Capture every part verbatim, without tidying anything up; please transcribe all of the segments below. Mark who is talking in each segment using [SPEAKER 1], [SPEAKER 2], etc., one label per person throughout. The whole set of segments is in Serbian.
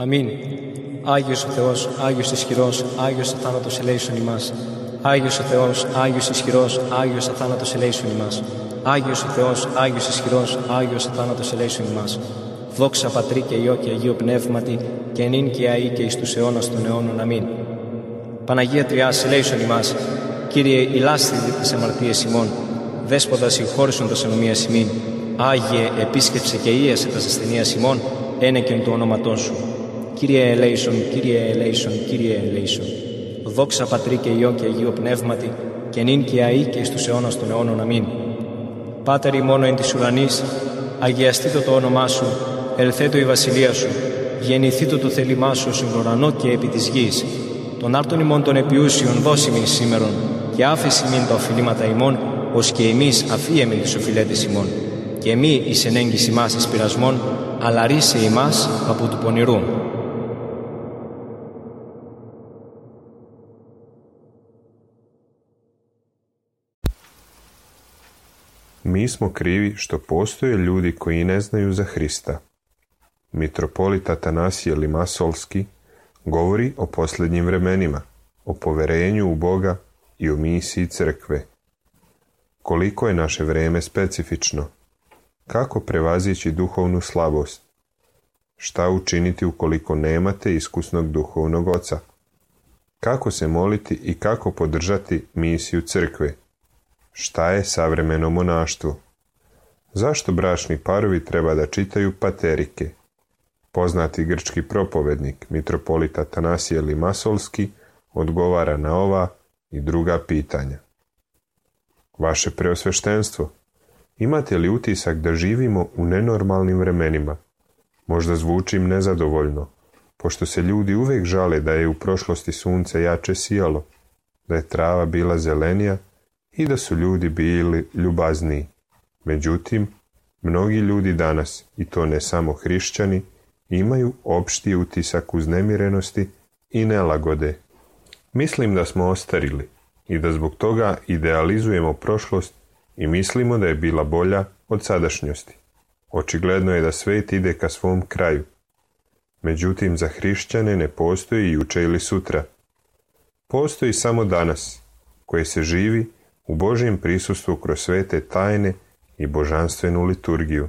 [SPEAKER 1] Αμήν. Άγιος ο Θεός, Άγιος ισχυρός, Άγιος αθάνατος ελέησον ημάς. Άγιος ο Θεός, Άγιος ισχυρός, Άγιος αθάνατος ελέησον ημάς. Άγιος ο Θεός, Άγιος ισχυρός, Άγιος αθάνατος ελέησον ημάς. Δόξα Πατρί και Υιό και Αγίο Πνεύματι, και νυν και αεί και εις τους αιώνας των αιώνων. Αμήν. Παναγία Τριάς, ελέησον ημάς. Κύριε, ηλάσθητη τις αμαρτίες ημών. Δέσποτα συγχώρησον τας ενομίας ημίν. Άγιε, επίσκεψε και ίασε τας ασθενείας ημών, ένεκεν του ονόματός σου. Κύριε ελέησον, Κύριε ελέησον, Κύριε ελέησον. Δόξα Πατρί και Υιό και Αγίο Πνεύματι, και νυν και αεί και εις τους αιώνας των αιώνων. Αμήν. Πάτερ ημών εν της ουρανής, αγιαστήτω το όνομά σου, ελθέτω η βασιλεία σου, γεννηθήτω το θέλημά σου στον ουρανό και επί της γης. Τον άρτον ημών των επιούσιων δώσιμην σήμερον, και άφεση μην τα οφειλήματα ημών, ως και εμείς αφίεμεν τις οφειλέτες ημών. Και μη εις ενέγγις ημάς εις πειρασμών, αλλά ρίσε ημάς από του πονηρού.
[SPEAKER 2] Mi smo krivi što postoje ljudi koji ne znaju za Hrista. Mitropolit Atanasije Limasolski govori o posljednjim vremenima, o poverenju u Boga i o misiji crkve. Koliko je naše vrijeme specifično? Kako prevazići duhovnu slabost? Šta učiniti ukoliko nemate iskusnog duhovnog oca? Kako se moliti i kako podržati misiju crkve? Šta je savremeno monaštvo? Zašto bračni parovi treba da čitaju paterike? Poznati grčki propovednik, mitropolit Atanasije Limasolski, odgovara na ova i druga pitanja. Vaše preosveštenstvo, imate li utisak da živimo u nenormalnim vremenima? Možda zvučim nezadovoljno, pošto se ljudi uvijek žale da je u prošlosti sunce jače sijalo, da je trava bila zelenija i da su ljudi bili ljubazniji. Međutim, mnogi ljudi danas, i to ne samo hrišćani, imaju opšti utisak uznemirenosti i nelagode. Mislim da smo ostarili i da zbog toga idealizujemo prošlost i mislimo da je bila bolja od sadašnjosti. Očigledno je da svijet ide ka svom kraju. Međutim, za hrišćane ne postoji juče ili sutra. Postoji samo danas, koje se živi u Božjem prisustvu kroz svete tajne i božanstvenu liturgiju.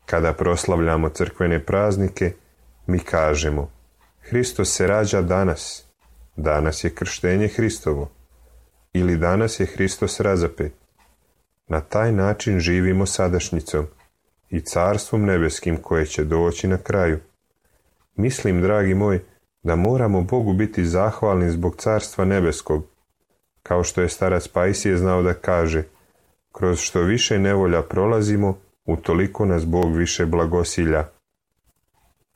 [SPEAKER 2] Kada proslavljamo crkvene praznike, mi kažemo: Hristos se rađa danas, danas je krštenje Hristovo, ili danas je Hristos razapet. Na taj način živimo sadašnjicom i carstvom nebeskim koje će doći na kraju. Mislim, dragi moj, da moramo Bogu biti zahvalni zbog carstva nebeskog, kao što je starac Pajsije znao da kaže: kroz što više nevolja prolazimo, utoliko nas Bog više blagosilja.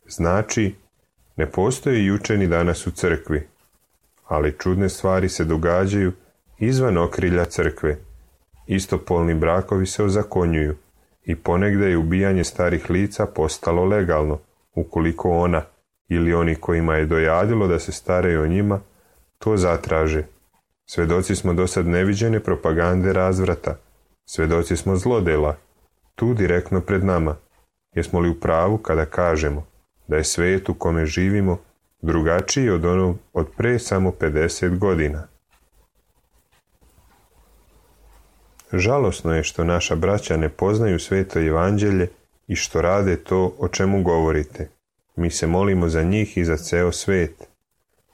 [SPEAKER 2] Znači, ne postoji juče ni danas u crkvi, ali čudne stvari se događaju izvan okrilja crkve. Istopolni brakovi se ozakonjuju i ponegde je ubijanje starih lica postalo legalno, ukoliko ona ili oni kojima je dojadilo da se staraju o njima to zatraže. Svedoci smo dosad neviđene propagande razvrata. Svedoci smo zlodela, tu direktno pred nama. Jesmo li u pravu kada kažemo da je svijet u kome živimo drugačiji od onog od pre samo pedeset godina? Žalosno je što naša braća ne poznaju sveto evanđelje i što rade to o čemu govorite. Mi se molimo za njih i za ceo svet.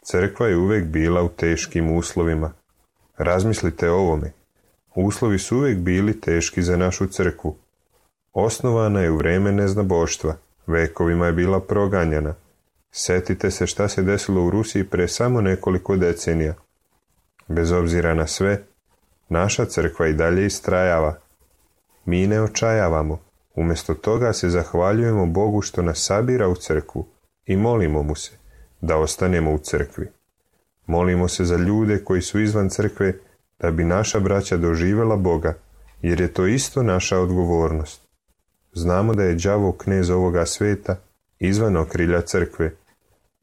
[SPEAKER 2] Crkva je uvek bila u teškim uslovima. Razmislite o ovome. Uslovi su uvek bili teški za našu crkvu. Osnovana je u vreme neznaboštva. Vekovima je bila proganjana. Setite se šta se desilo u Rusiji pre samo nekoliko decenija. Bez obzira na sve, naša crkva i dalje istrajava. Mi ne očajavamo. Umjesto toga se zahvaljujemo Bogu što nas sabira u crkvu i molimo mu se da ostanemo u crkvi. Molimo se za ljude koji su izvan crkve da bi naša braća doživjela Boga, jer je to isto naša odgovornost. Znamo da je đavo knez ovoga sveta izvan okrilja crkve,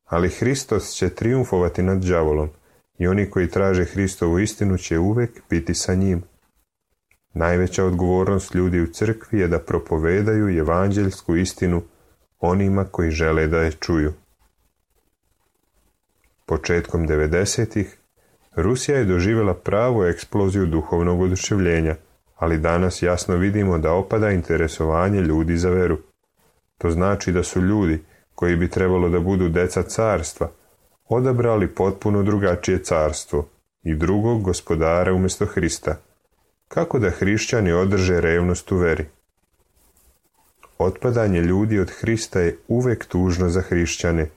[SPEAKER 2] ali Hristos će trijumfovati nad đavolom i oni koji traže Hristovu istinu će uvek biti sa njim. Najveća odgovornost ljudi u crkvi je da propovedaju evanđeljsku istinu onima koji žele da je čuju. Početkom devedesetih Rusija je doživjela pravu eksploziju duhovnog oduševljenja, ali danas jasno vidimo da opada interesovanje ljudi za veru. To znači da su ljudi, koji bi trebalo da budu deca carstva, odabrali potpuno drugačije carstvo i drugog gospodara umjesto Hrista. Kako da hrišćani održe revnost u veri? Otpadanje ljudi od Hrista je uvek tužno za hrišćane,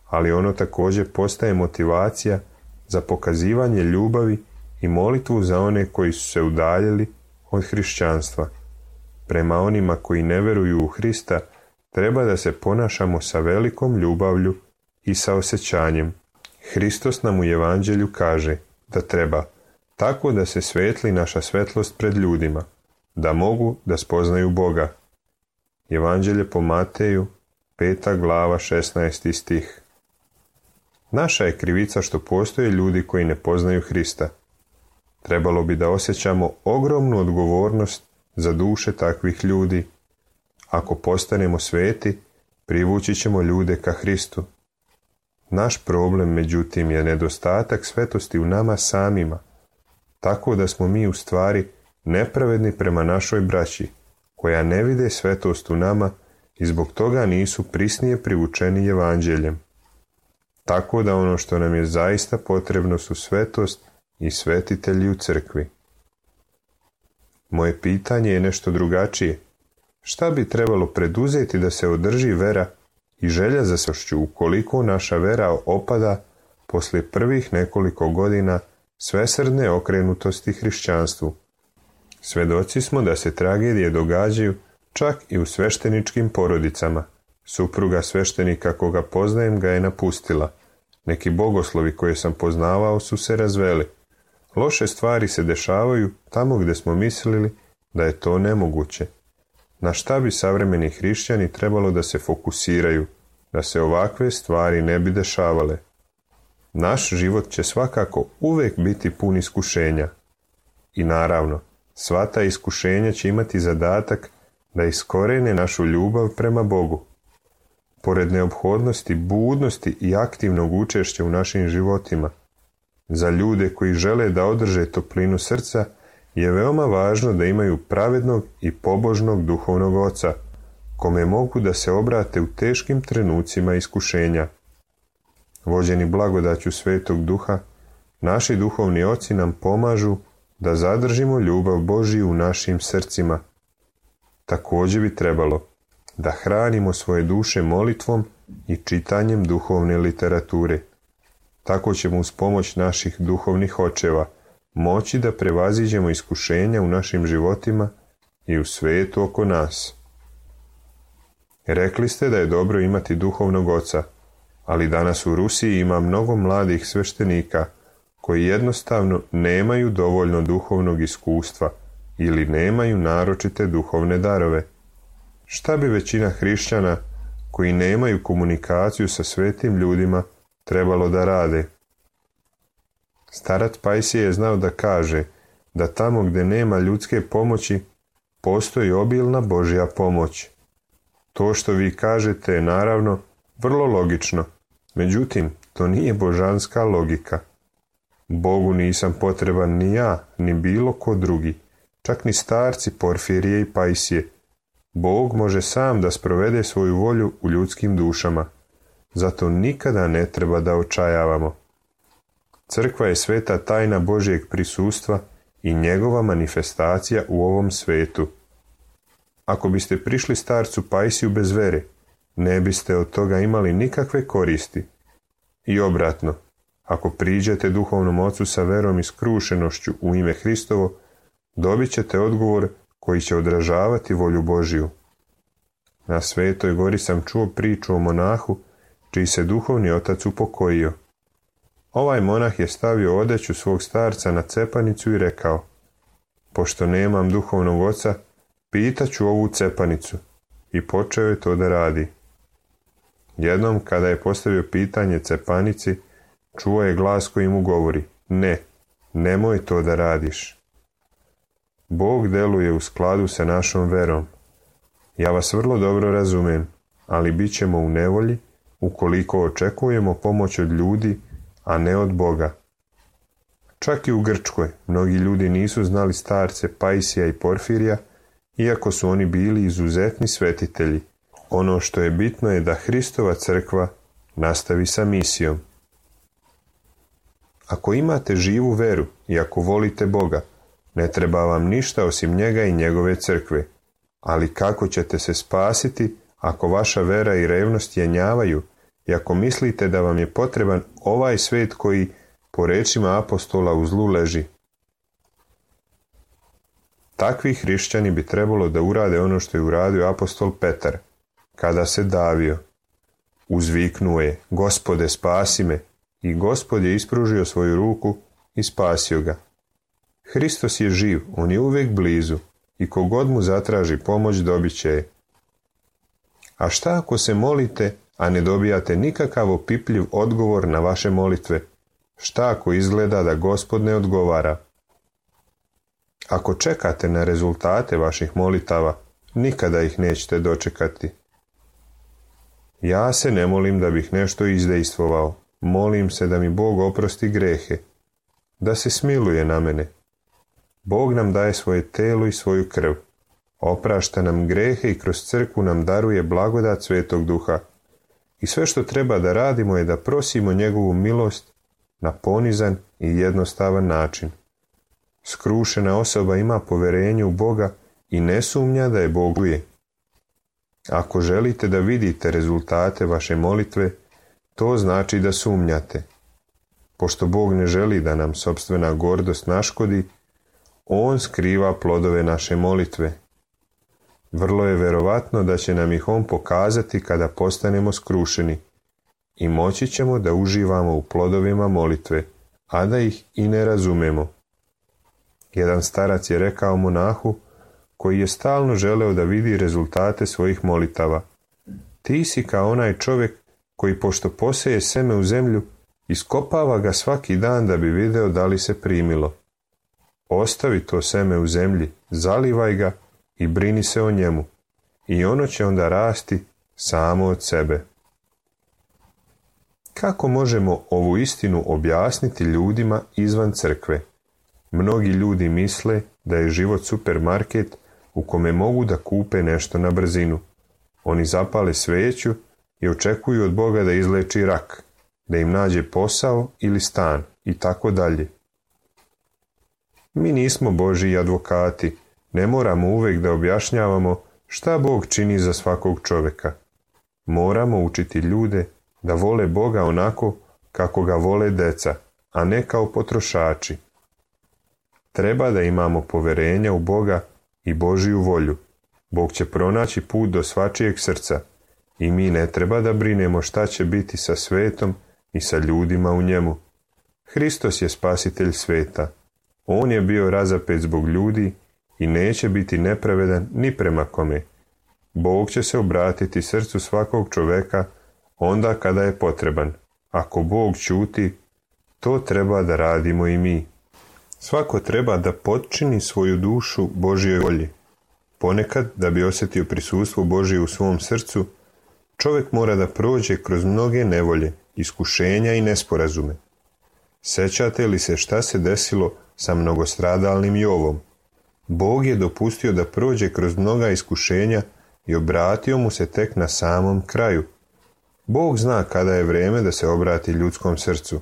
[SPEAKER 2] ali ono također postaje motivacija za pokazivanje ljubavi i molitvu za one koji su se udaljili od hrišćanstva. Prema onima koji ne veruju u Hrista treba da se ponašamo sa velikom ljubavlju i sa osjećanjem. Hristos nam u evanđelju kaže da treba tako da se svetli naša svetlost pred ljudima, da mogu da spoznaju Boga. Evanđelje po Mateju, peta glava, šesnaesti stih. Naša je krivica što postoje ljudi koji ne poznaju Hrista. Trebalo bi da osjećamo ogromnu odgovornost za duše takvih ljudi. Ako postanemo sveti, privući ćemo ljude ka Hristu. Naš problem, međutim, je nedostatak svetosti u nama samima, tako da smo mi u stvari nepravedni prema našoj braći, koja ne vide svetost u nama i zbog toga nisu prisnije privučeni evanđeljem. Tako da ono što nam je zaista potrebno su svetost i svetitelji u crkvi. Moje pitanje je nešto drugačije. Šta bi trebalo preduzeti da se održi vera i želja za svešću ukoliko naša vera opada poslije prvih nekoliko godina svesrdne okrenutosti hrišćanstvu? Svedoci smo da se tragedije događaju čak i u svešteničkim porodicama. Supruga sveštenika koga poznajem ga je napustila. Neki bogoslovi koje sam poznavao su se razveli. Loše stvari se dešavaju tamo gdje smo mislili da je to nemoguće. Na šta bi savremeni hrišćani trebalo da se fokusiraju, da se ovakve stvari ne bi dešavale? naš život će svakako uvijek biti pun iskušenja. I naravno, sva ta iskušenja će imati zadatak da iskorene našu ljubav prema Bogu. Pored neophodnosti, budnosti i aktivnog učešća u našim životima, za ljude koji žele da održe toplinu srca je veoma važno da imaju pravednog i pobožnog duhovnog oca, kome mogu da se obrate u teškim trenucima iskušenja. Vođeni blagodaću Svetog Duha, naši duhovni oci nam pomažu da zadržimo ljubav Božiju u našim srcima. Također bi trebalo da hranimo svoje duše molitvom i čitanjem duhovne literature. Tako ćemo uz pomoć naših duhovnih očeva moći da prevaziđemo iskušenja u našim životima i u svetu oko nas. Rekli ste da je dobro imati duhovnog oca, ali danas u Rusiji ima mnogo mladih sveštenika koji jednostavno nemaju dovoljno duhovnog iskustva ili nemaju naročite duhovne darove. Šta bi većina hrišćana koji nemaju komunikaciju sa svetim ljudima trebalo da rade? Starac Pajsije je znao da kaže da tamo gdje nema ljudske pomoći postoji obilna Božja pomoć. To što vi kažete je naravno vrlo logično, međutim to nije božanska logika. Bogu nisam potreban ni ja, ni bilo ko drugi, čak ni starci Porfirije i Pajsije. Bog može sam da sprovede svoju volju u ljudskim dušama, zato nikada ne treba da očajavamo. Crkva je sveta tajna Božjeg prisustva i njegova manifestacija u ovom svetu. Ako biste prišli starcu Pajsiju bez vere, ne biste od toga imali nikakve koristi. I obratno, ako priđete duhovnom ocu sa verom i skrušenošću u ime Hristovo, dobit ćete odgovor koji će odražavati volju Božiju. Na Svetoj gori sam čuo priču o monahu čiji se duhovni otac upokojio. Ovaj monah je stavio odeću svog starca na cepanicu i rekao: pošto nemam duhovnog oca, pitaću ovu cepanicu. I počeo je to da radi. Jednom kada je postavio pitanje cepanici, čuo je glas koji mu govori: ne, nemoj to da radiš. Bog deluje u skladu sa našom verom. Ja vas vrlo dobro razumem, ali bit ćemo u nevolji ukoliko očekujemo pomoć od ljudi, a ne od Boga. Čak i u Grčkoj mnogi ljudi nisu znali starce Pajsija i Porfirija, iako su oni bili izuzetni svetitelji. Ono što je bitno je da Hristova crkva nastavi sa misijom. Ako imate živu veru i ako volite Boga, ne treba vam ništa osim njega i njegove crkve. Ali kako ćete se spasiti ako vaša vera i revnost jenjavaju i ako mislite da vam je potreban ovaj svet koji, po rečima apostola, u zlu leži? Takvi hrišćani bi trebalo da urade ono što je uradio apostol Petar, kada se davio. Uzviknuo je: Gospode, spasi me, i Gospod je ispružio svoju ruku i spasio ga. Hristos je živ, on je uvijek blizu i kogod mu zatraži pomoć dobit će je. A šta ako se molite, a ne dobijate nikakav opipljiv odgovor na vaše molitve? Šta ako izgleda da Gospod ne odgovara? Ako čekate na rezultate vaših molitava, nikada ih nećete dočekati. Ja se ne molim da bih nešto izdejstvovao, molim se da mi Bog oprosti grehe, da se smiluje na mene. Bog nam daje svoje telo i svoju krv, oprašta nam grehe i kroz crkvu nam daruje blagodat Svetog Duha. I sve što treba da radimo je da prosimo njegovu milost na ponizan i jednostavan način. Skrušena osoba ima poverenje u Boga i ne sumnja da je Bog čuje. Ako želite da vidite rezultate vaše molitve, to znači da sumnjate. Pošto Bog ne želi da nam sopstvena gordost naškodi, on skriva plodove naše molitve. Vrlo je verovatno da će nam ih on pokazati kada postanemo skrušeni i moći ćemo da uživamo u plodovima molitve, a da ih i ne razumemo. Jedan starac je rekao monahu, koji je stalno želeo da vidi rezultate svojih molitava: ti si kao onaj čovjek koji pošto poseje seme u zemlju, Iskopava ga svaki dan da bi video da li se primilo. Ostavi to seme u zemlji, zalivaj ga i brini se o njemu. I ono će onda rasti samo od sebe. Kako možemo ovu istinu objasniti ljudima izvan crkve? Mnogi ljudi misle da je život supermarket u kome mogu da kupe nešto na brzinu. Oni zapale sveću i očekuju od Boga da izleči rak, da im nađe posao ili stan i tako dalje. Mi nismo Božji advokati, ne moramo uvijek da objašnjavamo šta Bog čini za svakog čovjeka. Moramo učiti ljude da vole Boga onako kako ga vole deca, a ne kao potrošači. Treba da imamo poverenja u Boga i Božju volju. Bog će pronaći put do svačijeg srca i mi ne treba da brinemo šta će biti sa svetom i sa ljudima u njemu. Hristos je spasitelj sveta. On je bio razapet zbog ljudi i neće biti nepravedan ni prema kome. Bog će se obratiti srcu svakog čoveka onda kada je potreban. Ako Bog ćuti, to treba da radimo i mi. Svako treba da potčini svoju dušu Božjoj volji. Ponekad, da bi osjetio prisustvo Božje u svom srcu, čovjek mora da prođe kroz mnoge nevolje, iskušenja i nesporazume. Sećate li se šta se desilo sa mnogostradalnim Jovom? Bog je dopustio da prođe kroz mnoga iskušenja i obratio mu se tek na samom kraju. Bog zna kada je vrijeme da se obrati ljudskom srcu.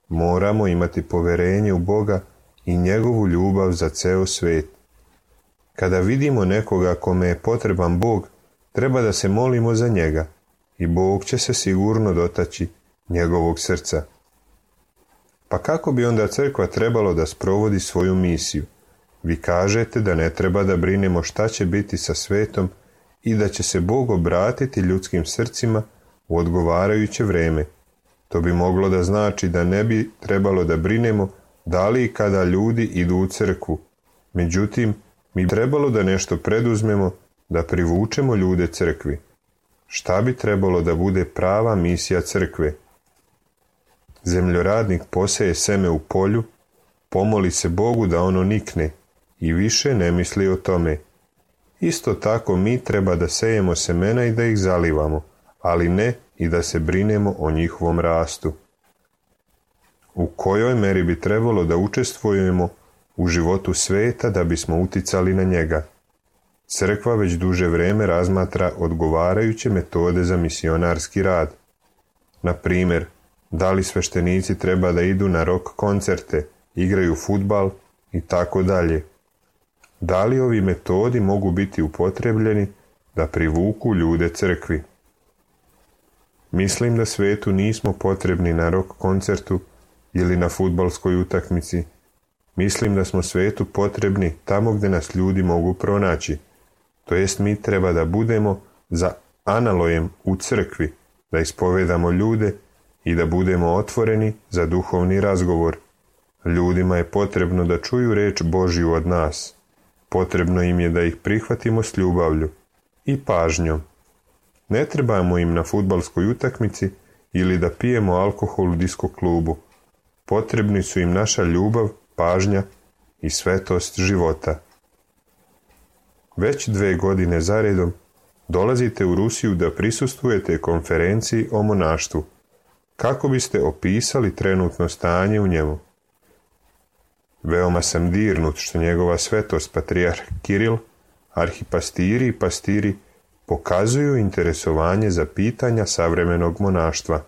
[SPEAKER 2] Moramo imati poverenje u Boga i njegovu ljubav za ceo svet. Kada vidimo nekoga kome je potreban Bog, treba da se molimo za njega i Bog će se sigurno dotaći njegovog srca. Pa kako bi onda crkva trebalo da sprovodi svoju misiju? Vi kažete da ne treba da brinemo šta će biti sa svetom i da će se Bog obratiti ljudskim srcima u odgovarajuće vrijeme. To bi moglo da znači da ne bi trebalo da brinemo da li i kada ljudi idu u crkvu. Međutim, mi bi trebalo da nešto preduzmemo da privučemo ljude crkvi. Šta bi trebalo da bude prava misija crkve? Zemljoradnik poseje seme u polju, pomoli se Bogu da ono nikne i više ne misli o tome. Isto tako mi treba da sejemo semena i da ih zalivamo, ali ne i da se brinemo o njihovom rastu. U kojoj meri bi trebalo da učestvujemo u životu sveta da bismo uticali na njega? Crkva već duže vrijeme razmatra odgovarajuće metode za misionarski rad. Na primjer, da li sveštenici treba da idu na rock koncerte, igraju fudbal i tako dalje. Da li ovi metodi mogu biti upotrebljeni da privuku ljude crkvi? Mislim da svetu nismo potrebni na rock koncertu ili na fudbalskoj utakmici. Mislim da smo svetu potrebni tamo gdje nas ljudi mogu pronaći. To jest mi treba da budemo za analojem u crkvi, da ispovedamo ljude i da budemo otvoreni za duhovni razgovor. Ljudima je potrebno da čuju reč Božju od nas. Potrebno im je da ih prihvatimo s ljubavlju i pažnjom. Ne trebamo im na fudbalskoj utakmici ili da pijemo alkohol u disko klubu. Potrebni su im naša ljubav, pažnja i svetost života. Već dve godine zaredom dolazite u Rusiju da prisustvujete konferenciji o monaštvu. Kako biste opisali trenutno stanje u njemu? Veoma sam dirnut što njegova svetost patrijarh Kiril, arhipastiri i pastiri pokazuju interesovanje za pitanja savremenog monaštva.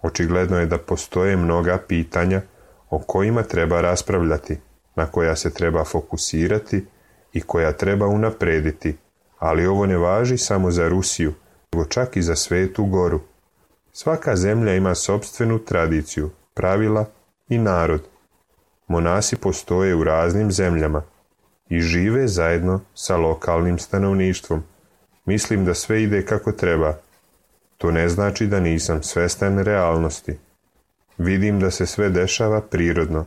[SPEAKER 2] Očigledno je da postoje mnoga pitanja o kojima treba raspravljati, na koja se treba fokusirati i koja treba unaprediti, ali ovo ne važi samo za Rusiju, nego čak i za Svetu Goru. Svaka zemlja ima sopstvenu tradiciju, pravila i narod. Monasi postoje u raznim zemljama i žive zajedno sa lokalnim stanovništvom. Mislim da sve ide kako treba. To ne znači da nisam svestan realnosti. Vidim da se sve dešava prirodno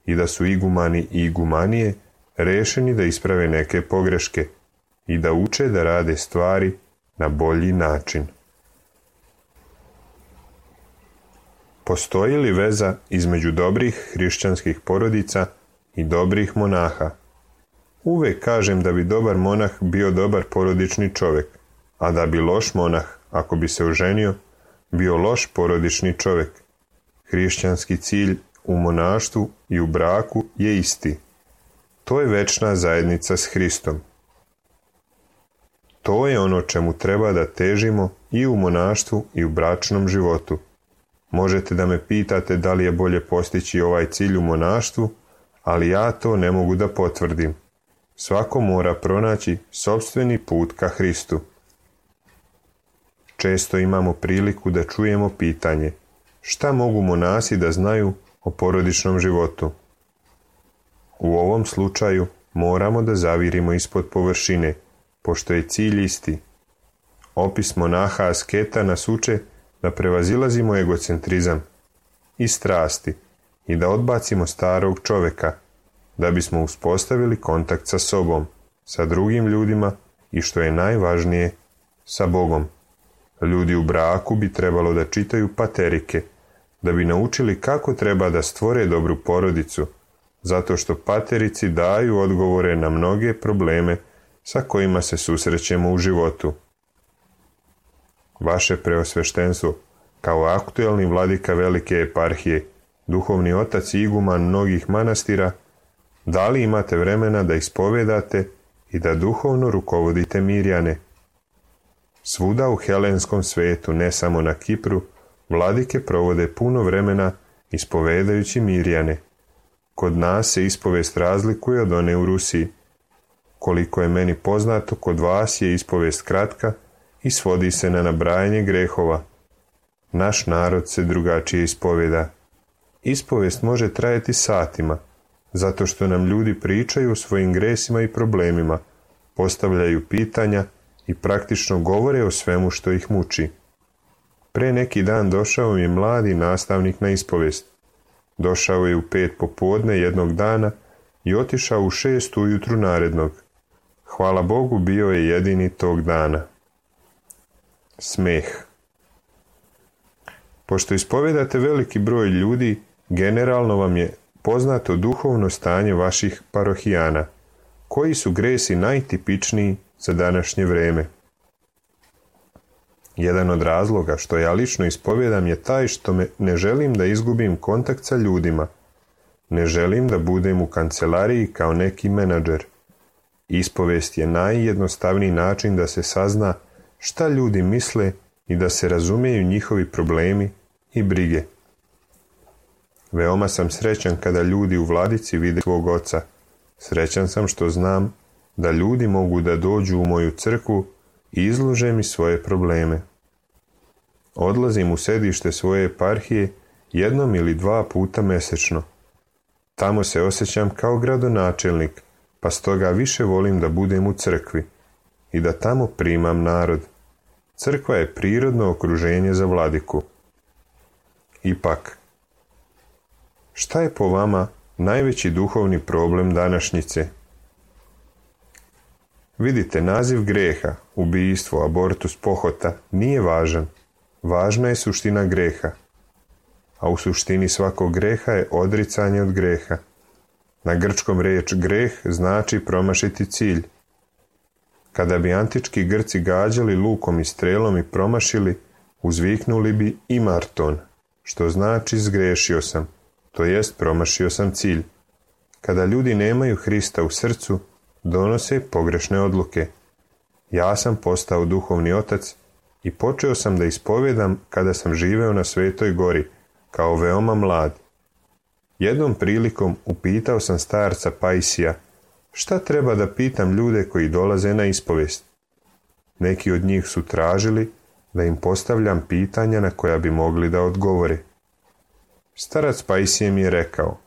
[SPEAKER 2] i da su igumani i igumanije rešeni da isprave neke pogreške i da uče da rade stvari na bolji način. Postoji li veza između dobrih hrišćanskih porodica i dobrih monaha? Uvijek kažem da bi dobar monah bio dobar porodični čovjek, a da bi loš monah, ako bi se oženio, bio loš porodični čovjek. Hrišćanski cilj u monaštvu i u braku je isti. To je večna zajednica s Hristom. To je ono čemu treba da težimo i u monaštvu i u bračnom životu. Možete da me pitate da li je bolje postići ovaj cilj u monaštvu, ali ja to ne mogu da potvrdim. Svako mora pronaći sopstveni put ka Hristu. Često imamo priliku da čujemo pitanje: šta mogu monasi da znaju o porodičnom životu? U ovom slučaju moramo da zavirimo ispod površine, pošto je cilj isti. Opis monaha asketa nas uče da prevazilazimo egocentrizam i strasti i da odbacimo starog čoveka, da bismo uspostavili kontakt sa sobom, sa drugim ljudima i, što je najvažnije, sa Bogom. Ljudi u braku bi trebalo da čitaju paterike, da bi naučili kako treba da stvore dobru porodicu, zato što paterici daju odgovore na mnoge probleme sa kojima se susrećemo u životu. Vaše preosveštenstvo, kao aktuelni vladika velike eparhije, duhovni otac i iguman mnogih manastira, da li imate vremena da ispovedate i da duhovno rukovodite Mirjane? Svuda u helenskom svetu, ne samo na Kipru, vladike provode puno vremena ispovedajući Mirjane. Kod nas se ispovest razlikuje od one u Rusiji. Koliko je meni poznato, kod vas je ispovest kratka i svodi se na nabrajanje grehova. Naš narod se drugačije ispoveda. Ispovest može trajati satima, zato što nam ljudi pričaju o svojim gresima i problemima, postavljaju pitanja i praktično govore o svemu što ih muči. Pre neki dan došao mi je mladi nastavnik na ispovest. Došao je u pet popodne jednog dana i otišao u šest ujutru narednog. Hvala Bogu, bio je jedini tog dana. Smeh. Pošto ispovedate veliki broj ljudi, generalno vam je poznato duhovno stanje vaših parohijana. Koji su gresi najtipičniji za današnje vreme? Jedan od razloga što ja lično ispovedam je taj što me ne želim da izgubim kontakt sa ljudima. Ne želim da budem u kancelariji kao neki menadžer. Ispovest je najjednostavniji način da se sazna šta ljudi misle i da se razumeju njihovi problemi i brige. Veoma sam srećan kada ljudi u vladici vide svog oca. Srećan sam što znam da ljudi mogu da dođu u moju crkvu i izlože mi svoje probleme. Odlazim u sedište svoje eparhije jednom ili dva puta mesečno. Tamo se osjećam kao gradonačelnik, pa stoga više volim da budem u crkvi i da tamo primam narod. Crkva je prirodno okruženje za vladiku. Ipak, šta je po vama najveći duhovni problem današnjice? Vidite, naziv greha, ubijstvo, abortus, pohota nije važan. Važna je suština greha. A u suštini svakog greha je odricanje od greha. Na grčkom reč greh znači promašiti cilj. Kada bi antički Grci gađali lukom i strelom i promašili, uzviknuli bi imarton, što znači zgrešio sam, to jest promašio sam cilj. Kada ljudi nemaju Hrista u srcu, donose pogrešne odluke. Ja sam postao duhovni otac i počeo sam da ispovedam kada sam živeo na Svetoj gori, kao veoma mlad. Jednom prilikom upitao sam starca Pajsija, šta treba da pitam ljude koji dolaze na ispovest. Neki od njih su tražili da im postavljam pitanja na koja bi mogli da odgovore. Starac Pajsije mi je rekao,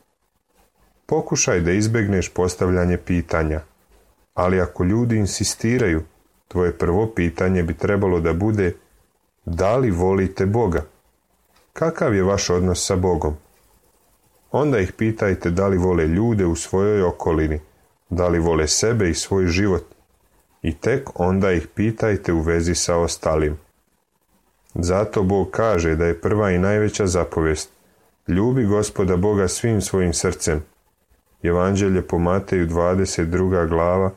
[SPEAKER 2] pokušaj da izbegneš postavljanje pitanja, ali ako ljudi insistiraju, tvoje prvo pitanje bi trebalo da bude, da li volite Boga? Kakav je vaš odnos sa Bogom? Onda ih pitajte da li vole ljude u svojoj okolini, da li vole sebe i svoj život, i tek onda ih pitajte u vezi sa ostalim. Zato Bog kaže da je prva i najveća zapovest, Ljubi Gospoda Boga svim svojim srcem. Evanđelje po Mateju dvadeset druga glava,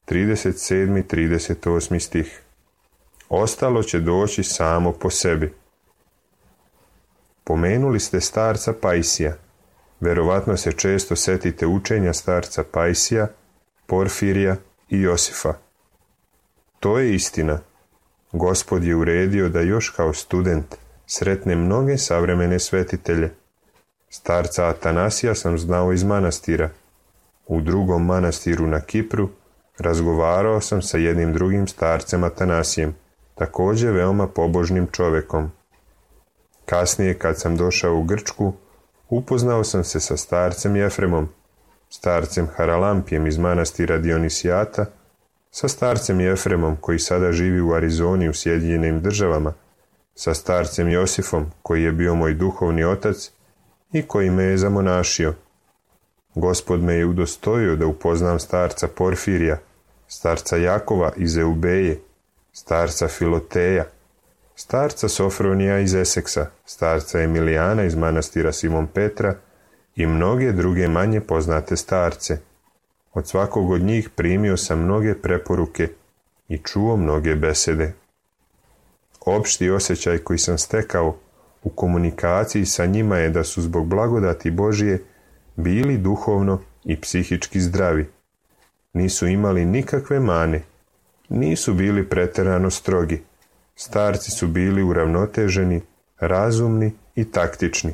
[SPEAKER 2] trideset sedmi i trideset osmi stih. Ostalo će doći samo po sebi. Pomenuli ste starca Pajsija. Verovatno se često setite učenja starca Pajsija, Porfirija i Josifa. To je istina. Gospod je uredio da još kao student sretne mnoge savremene svetitelje. Starca Atanasija sam znao iz manastira. U drugom manastiru na Kipru razgovarao sam sa jednim drugim starcem Atanasijem, također veoma pobožnim čovekom. Kasnije, kad sam došao u Grčku, upoznao sam se sa starcem Jefremom, starcem Haralampijem iz manastira Dionisijata, sa starcem Jefremom koji sada živi u Arizoni u Sjedinjenim Državama, sa starcem Josifom koji je bio moj duhovni otac i koji me je zamonašio. Gospod me je udostojio da upoznam starca Porfirija, starca Jakova iz Eubeje, starca Filoteja, starca Sofronija iz Eseksa, starca Emilijana iz manastira Simon Petra i mnoge druge manje poznate starce. Od svakog od njih primio sam mnoge preporuke i čuo mnoge besede. Opšti osjećaj koji sam stekao u komunikaciji sa njima je da su zbog blagodati Božije bili duhovno i psihički zdravi. Nisu imali nikakve mane, nisu bili preterano strogi. Starci su bili uravnoteženi, razumni i taktični.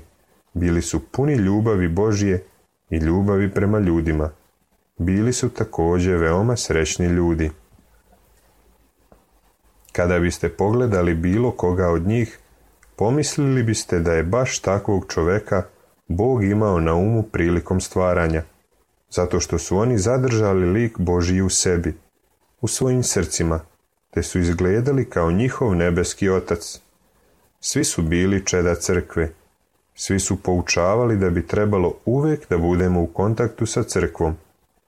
[SPEAKER 2] Bili su puni ljubavi Božije i ljubavi prema ljudima. Bili su također veoma srećni ljudi. Kada biste pogledali bilo koga od njih, pomislili biste da je baš takvog čoveka Bog imao na umu prilikom stvaranja, zato što su oni zadržali lik Božji u sebi, u svojim srcima, te su izgledali kao njihov nebeski otac. Svi su bili čeda crkve, svi su poučavali da bi trebalo uvijek da budemo u kontaktu sa crkvom,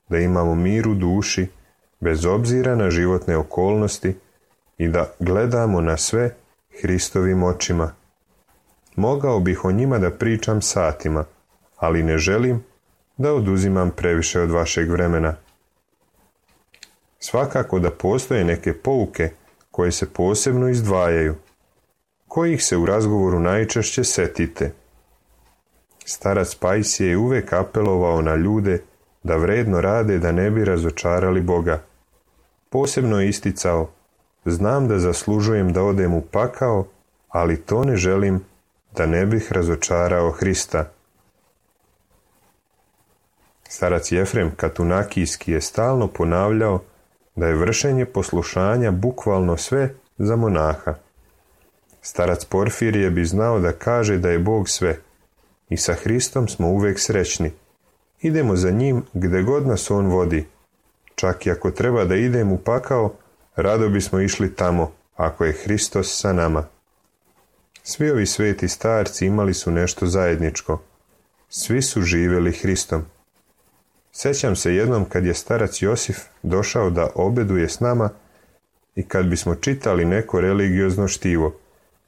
[SPEAKER 2] da imamo mir u duši, bez obzira na životne okolnosti i da gledamo na sve Hristovim očima. Mogao bih o njima da pričam satima, ali ne želim da oduzimam previše od vašeg vremena. Svakako da postoje neke pouke koje se posebno izdvajaju, kojih se u razgovoru najčešće setite. Starac Pajsije je uvek apelovao na ljude da vredno rade da ne bi razočarali Boga. Posebno je isticao: znam da zaslužujem da odem u pakao, ali to ne želim da ne bih razočarao Hrista. Starac Jefrem Katunakijski je stalno ponavljao da je vršenje poslušanja bukvalno sve za monaha. Starac Porfirije bi znao da kaže da je Bog sve i sa Hristom smo uvek srećni. Idemo za njim gde god nas on vodi. Čak i ako treba da idem u pakao, rado bismo išli tamo, ako je Hristos sa nama. Svi ovi sveti starci imali su nešto zajedničko. Svi su živjeli Hristom. Sjećam se jednom kad je starac Josif došao da obeduje s nama i kad bismo čitali neko religiozno štivo,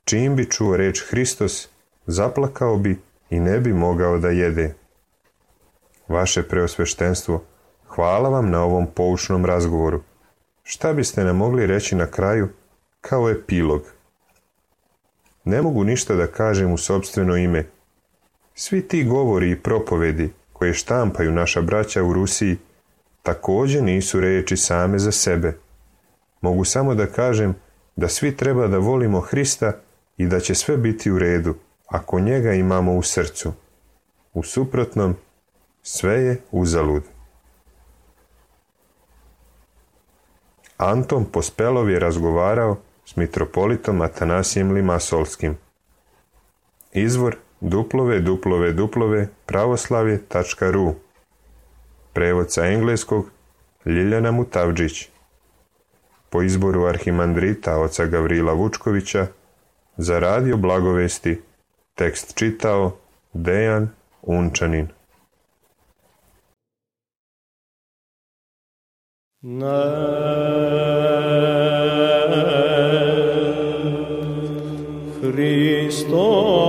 [SPEAKER 2] čim bi čuo reč Hristos, zaplakao bi i ne bi mogao da jede. Vaše preosveštenstvo, hvala vam na ovom poučnom razgovoru. Šta biste nam mogli reći na kraju kao epilog? Ne mogu ništa da kažem u sopstveno ime. Svi ti govori i propovedi koje štampaju naša braća u Rusiji također nisu reči same za sebe. Mogu samo da kažem da svi treba da volimo Hrista i da će sve biti u redu ako njega imamo u srcu. U suprotnom, sve je uzalud. Anton Pospelov je razgovarao s mitropolitom Atanasijem Limasolskim. Izvor w w w tačka pravoslavje tačka r u. Prevod sa engleskog Ljiljana Mutavdžić. Po izboru arhimandrita oca Gavrila Vučkovića, za radio Blagovesti tekst čitao Dejan Unčanin.
[SPEAKER 1] Χριστός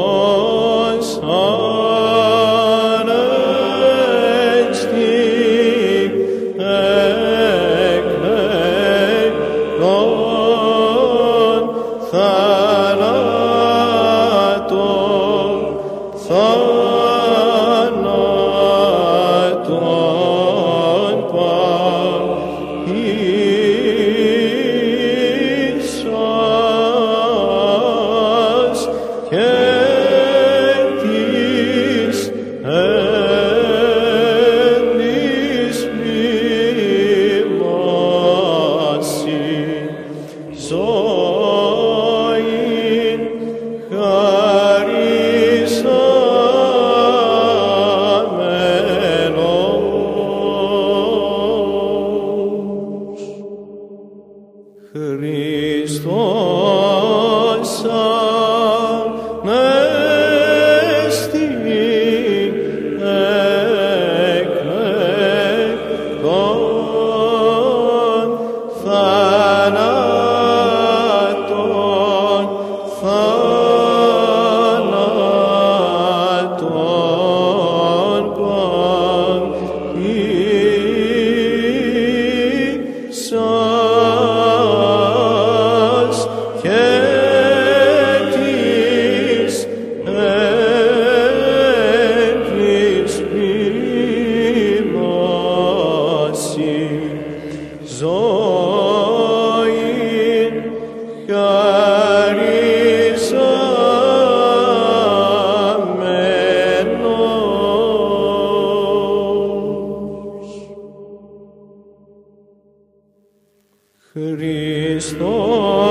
[SPEAKER 1] Χριστός